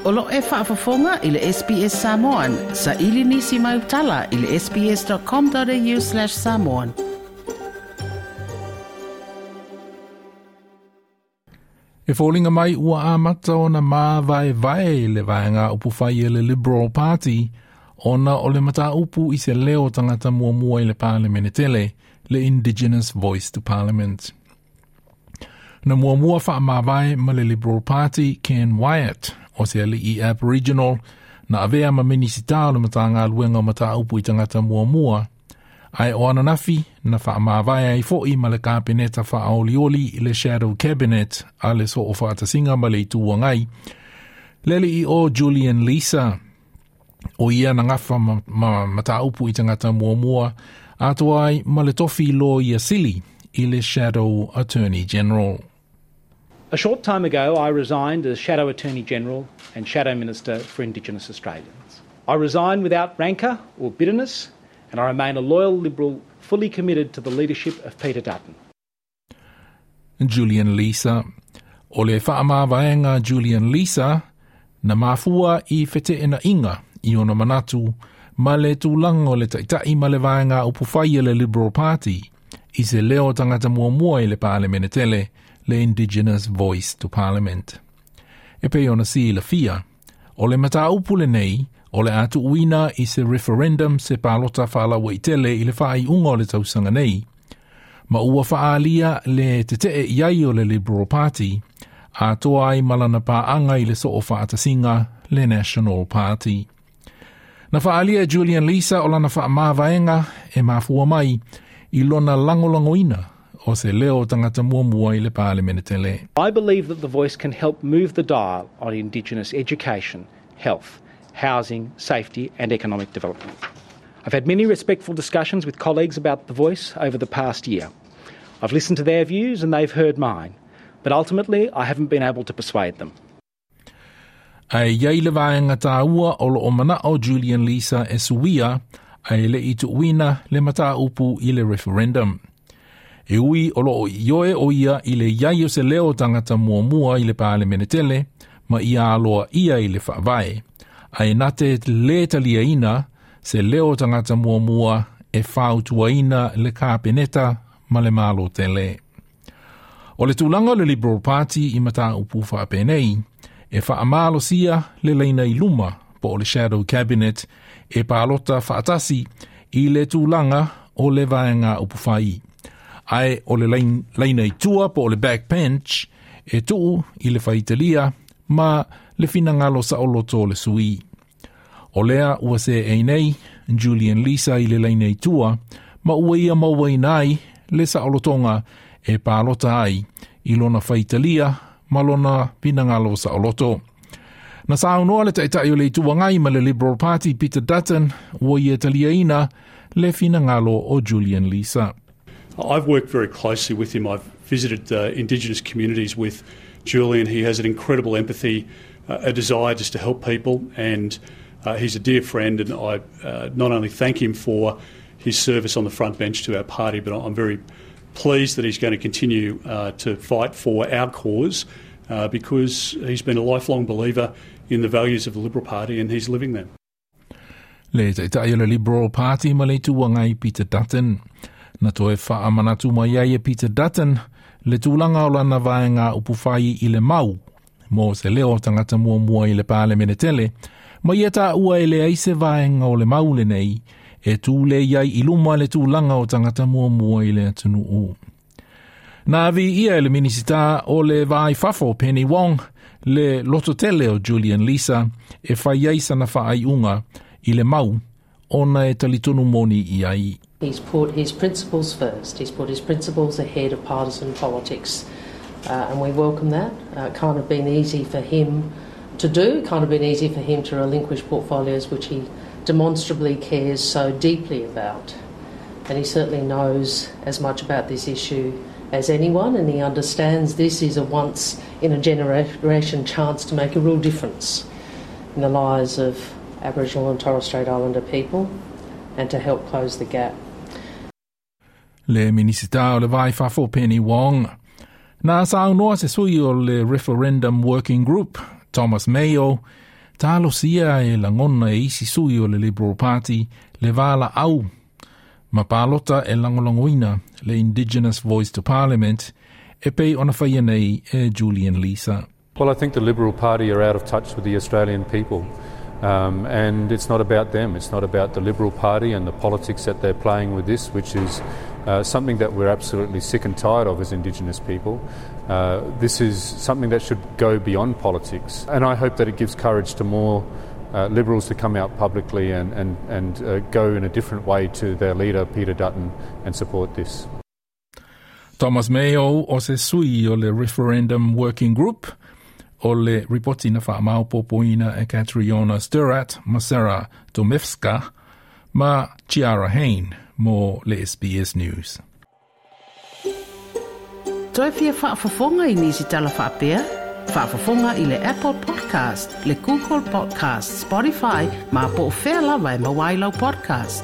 O lo e faafofoga i le SBS Samoan. Saili nisi mau tala i le sbs.com.au/samoan. E foliga mai ua amata ona māvaevae le vaega upufai e le Liberal Party ona o le mataupu i se leo tagata muamua i le Palemene tele, le Indigenous Voice to Parliament. Na muamua faamavae ma le Liberal Party Ken Wyatt, o se ali'i Aboriginal, na avea ma Minisita o le Matagaluega o Mataupu i Tagata Muamua, ae o ananafi na faamavae ai fo'i ma le Kapeneta faaolioli le Shadow Cabinet a le Soofaatasiga ma le Itu Agai, le ali'i o Julian Leeser. O ia na gafa ma, ma mataupu i tagata muamua, atoa ai ma le tofi Loia Sili i le Shadow Attorney General. A short time ago, I resigned as Shadow Attorney General and Shadow Minister for Indigenous Australians. I resigned without rancour or bitterness, and I remain a loyal Liberal fully committed to the leadership of Peter Dutton. Julian Leeser. O le faamavaega Julian Leeser, na mafua i feteenaiga i ona manatu ma le tulaga o le taitai ma le vaega upufai a le Liberal Party i se leo tagata muamua i le Palemene tele, le Indigenous Voice to Parliament. E pei ona silafia, o le mataupu lenei o le a tuuina i se referendum se palota faalauaitele i le faaiuga o le tausaga nei, ma ua faaalia le tetee i ai o le Liberal Party, atoa ai ma lana paaga i le Soofaatasiga le National Party. Na faaalia e Julian Leeser o lana faamavaega e mafua mai i lona lagolagoina o se leo tagata muamua i le Palemene tele. I believe that the voice can help move the dial on Indigenous education, health, housing, safety and economic development. I've had many respectful discussions with colleagues about the voice over the past year. I've listened to their views and they've heard mine, but ultimately I haven't been able to persuade them. Ae iai le vaega tāua o loo manao Julian Leeser e suia ae le'i tuuina le mataupu i le referendum. E ui o loo ioe o ia i le iai o se leo tagata muamua i le Palemene tele ma ia aloaia i le faavae, ae na te lē taliaina se leo tagata muamua e fautuaina le Kapeneta ma le Malo tele. O le tulaga o le Liberal Party i mataupu faapenei, e faamalosia le laina i luma po o le Shadow Cabinet e palota faatasi i le tulaga o le vaega upufai. Ae o le laina i tua po o le backbench e tuu i le faitalia ma le finagalo saoloto o le sui. O lea ua seei nei Julian Leeser i le laina i tua ma ua ia mauaina ai le saolotoga e palota ai i lona faitalia ma lona finagalo saoloto. Na saunoa le taitai o le Itu Agai ma le Liberal Party Peter Dutton ua ia taliaina le finagalo o Julian Leeser. I've worked very closely with him. I've visited Indigenous communities with Julian. He has an incredible empathy, a desire just to help people, and he's a dear friend. And I not only thank him for his service on the front bench to our party, but I'm very pleased that he's going to continue to fight for our cause because he's been a lifelong believer in the values of the Liberal Party and he's living them. Le taitai o le Liberal Party ma le Itu Agai Peter Dutton. Na toe faamanatu mai ai e Peter Dutton le tulaga o lana vaega upufai i le mau mo se leo tagata muamua i le Palemene tele, ma ia taua e leai se vaega o le mau lenei e tū lē ai i luma le tulaga o tagata muamua i le atunuu. Na avi ia e le Minisita o le Va i Fafo Penny Wong le lototele o Julian Leeser e fai ai sana faaiuga i le mau ona e talitonu moni i ai. He's put his principles first. He's put his principles ahead of partisan politics. And we welcome that. It can't have been easy for him to do. It can't have been easy for him to relinquish portfolios which he demonstrably cares so deeply about. And he certainly knows as much about this issue as anyone, and he understands this is a once in a generation chance to make a real difference in the lives of Aboriginal and Torres Strait Islander people and to help close the gap. Le Minisita o le Va i Fafo Penny Wong. Na saunoa se sui o le Referendum Working Group, Thomas Mayo, Talosia e lagona e isi sui o le Liberal Party le valaau ma palota e lagolagoina le Indigenous Voice to Parliament e pei ona faia nei e Julian Leeser. Well, I think the Liberal Party are out of touch with the Australian people. And it's not about them. It's not about the Liberal Party and the politics that they're playing with this, which is something that we're absolutely sick and tired of as Indigenous people. This is something that should go beyond politics. And I hope that it gives courage to more Liberals to come out publicly and go in a different way to their leader, Peter Dutton, and support this. Thomas Mayo o se sui o le Referendum Working Group o le ripoti na whaamaopopoina e Catriona Stirrat ma Sarah Domevska ma Chiara Hain mo le SBS News. Toe fia faafofoga i nisi tala faapea? Faafofoga i le Apple Podcast, le Google Podcast, Spotify, ma po o fea lava e maua ai lau podcast.